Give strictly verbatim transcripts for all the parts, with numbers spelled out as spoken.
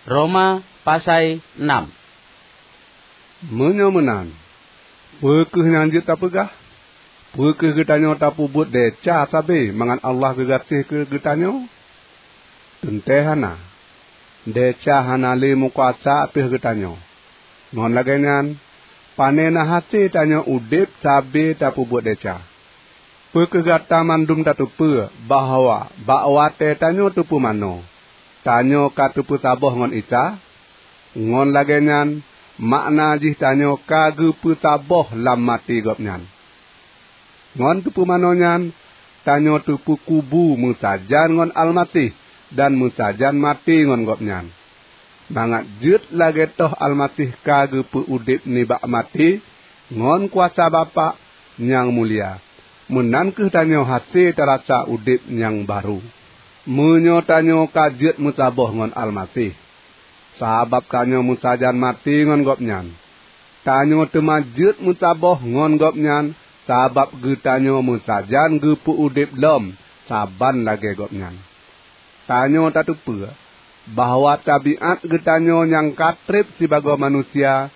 Roma pasai nam. Meunyoe meunan, peu kheueh nyang jeuet tapeugah? Peu kheueh geutanyoe tapeubuet desya sabe mangat Allah geugaséh keu geutanyoe? Teuntée hana! Desya hana lé meukuasa ateueh geutanyoe. Ngon lagée nyan, pane na hase tanyoe udeb sabe tapeubuet desya? Peu kheueh gata mandum tateupeue bahwa bak watée tanyoe teupeumanoe, tanyoe ka teupeusaboh ngon Isa? Ngon lagée nyan, makna jih tanyoe ka geupeusaboh lam maté Gobnyan. Ngon teupeumanoe nyan, tanyoe teupeukubu meusajan ngon Almaseh dan meusajan maté ngon Gobnyan, mangat jeuet lagée toh Almaseh ka geupeu udeb nibak maté ngon kuasa Bapak nyang mulia, meunan kheueh tanyoe hase tarasa udeb nyang barô. Meunyoe tanyoe ka jeuet meusaboh ngon Almaseh, sabab tanyoe meusajan maté ngon Gobnyan, tanyoe teuma jeuet meusaboh ngon Gobnyan sabab geutanyoe meusajan geupeu udeb lom saban lagée Gobnyan. Tanyoe tateupeue bahwa tabiát geutanyoe nyang ka treb sibagoe manusia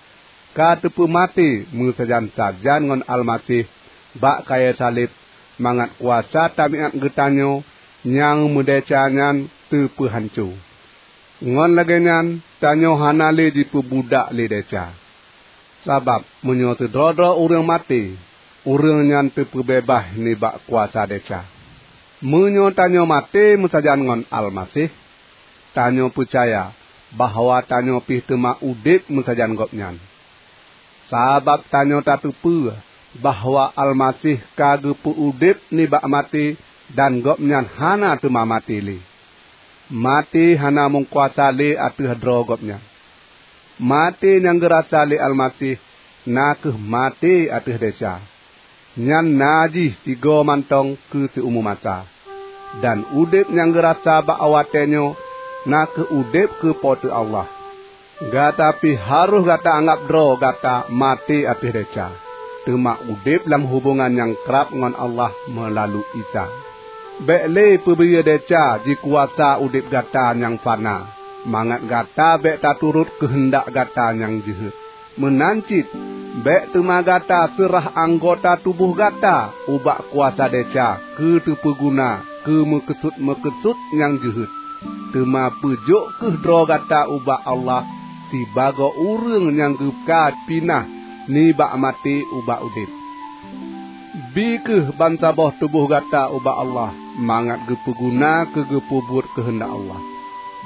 ka teupeumaté meusajan-sajan ngon Almaseh bak kayée saleb, mangat kuasa tabiát geutanyoe nyang meudesya nyan teupeuhanco. Ngon lagée nyan, tanyoe hana lé jipeubudak lé desya. Sabab meunyoe sidroe-droe ureuëng maté, ureuëng nyan teupeubeubaih nibak kuasa desya. Meunyoe tanyoe maté meusajan ngon Almaseh, tanyoe peucaya bahwa tanyoe pih teuma udeb meusajan Gobnyan. Sabab tanyoe tateupeue bahwa Almaseh ka geupeu udeb nibak maté dan Gobnyan hana teuma maté lé. Maté hana meukuasa lé ateueh droe Gobnyan. Maté nyang geurasa lé Almaseh na kheueh maté ateueh desya. Nyan na jih sigoe mantong keu siumu masa. Dan udeb nyang geurasa bak watée nyoe na kheueh udeb keu Po teu Allah. Gata pih harôh gata anggab droe gata maté ateueh desya, teuma udeb lam hubongan nyang krab ngon Allah meulalu Isa. Bék lé peubiyeu desya jikuasa udeb gata nyang fana, mangat gata bék taturot keuheundak gata nyang jeuhet. Meunan cit, bék teuma gata seurah anggota tuboh gata ubak kuasa desya keu teupeugeuna keu meukeusut-meukeusut nyang jeuhet. Teuma peujok kheueh droe gata ubak Allah sibagoe ureuëng nyang geuka pinah nibak maté ubak udeb. Bi kheueh bansaboh tuboh gata ubak Allah mangat geupeuguna keu geupeubuet keuheundak Allah.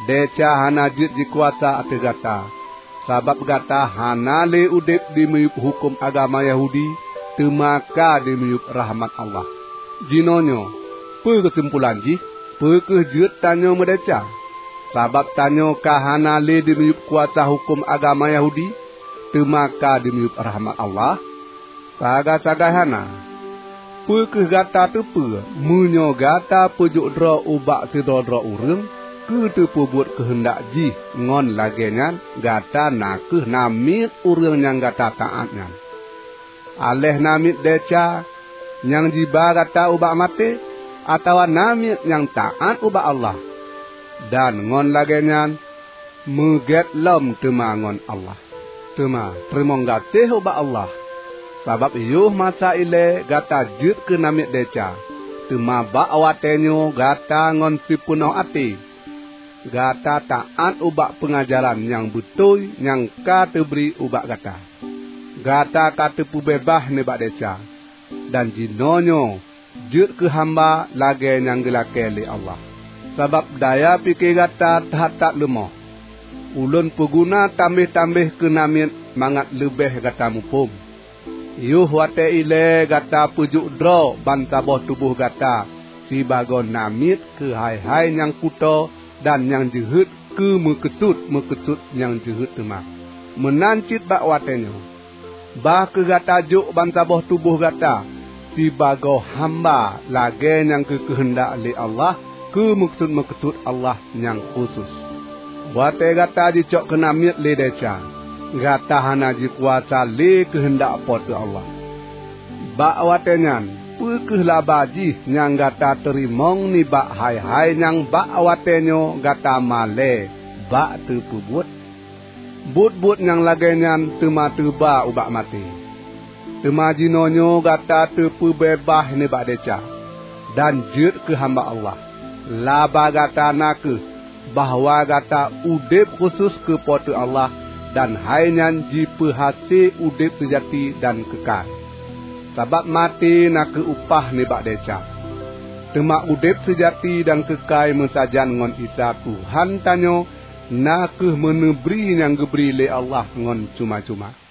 Desya hana jeuet jikuasa ateueh gata, sabab gata hana lé udeb dimiyueb huköm agama Yahudi, teuma ka dimiyueb rahmat Allah. Jinoenyoe, peue keusimpulan jih? Peu kheueh jeuet tanyoe meudesya, sabab tanyoe ka hana lé dimiyueb kuasa huköm agama Yahudi, teuma ka dimiyueb rahmat Allah? Sagai-sagai hana! Peu kheueh gata teupeue meunyoe gata peujok droe ubak sidroe-droe ureuëng keu teupeubuet keuheundak jih ngon lagée nyan gata na kheueh namiet ureuëng nyang gata taát nyan? Aléh namiet desya nyang jiba gata ubak maté, atawa namiet nyang taát ubak Allah? Dan ngon lagée nyan meugét lom teuma ngon Allah. Teuma teurimong gaséh ubak Allah, sabab yoh masa ilée gata jeuet keu namiet desya, teuma bak watée nyoe gata ngon sipeunoh até gata taát ubak peungajaran nyang beutôi nyang ka teubri ubak gata. Gata ka teupeubeubaih nibak desya, dan jinoenyoe jeuet keu hamba lagée nyang geulakée lé Allah. Sabab daya pike gata that-that leumoh. Ulôn peuguna tambeh-tambeh keu namiet mangat leubeh gata muphom. Yoh watée ilée gata peujok droe bansaboh tuboh gata sibagoe namiet keu hai-hai nyang kutoe dan nyang jeuhet keu meukeusut-meukeusut nyang jeuhet teuma. Meunan cit bak watée nyoe, bah kheueh gata jok bansaboh tuboh gata sibagoe hamba lagée nyang geukeuheundak lé Allah keu meukeusut-meukeusut Allah nyang khusos. Watée gata jicok keu namiet lé desya, gata hana jikuasa lé keuheundak Po teu Allah. Bak watée nyan, peu kheueh laba jih nyang gata teurimong nibak hai-hai nyang bak watée nyoe gata malée bak teupeubuet. Buet-buet nyang lagée nyan teuma teuba ubak maté. Teuma jinoenyoe gata teupeubeubaih nibak desya, dan jeuet keu hamba Allah. Laba gata na kheueh bahwa gata udeb khusos keu Po teu Allah, dan hai nyan jipeuhase udeb seujati dan keukai. Sabab maté na kheueh upah nibak desya. Teuma udeb seujati dan keukai meusajan ngon Isa Tuhan tanyoe na kheueh meuneubri nyang geubri lé Allah ngon cuma-cuma.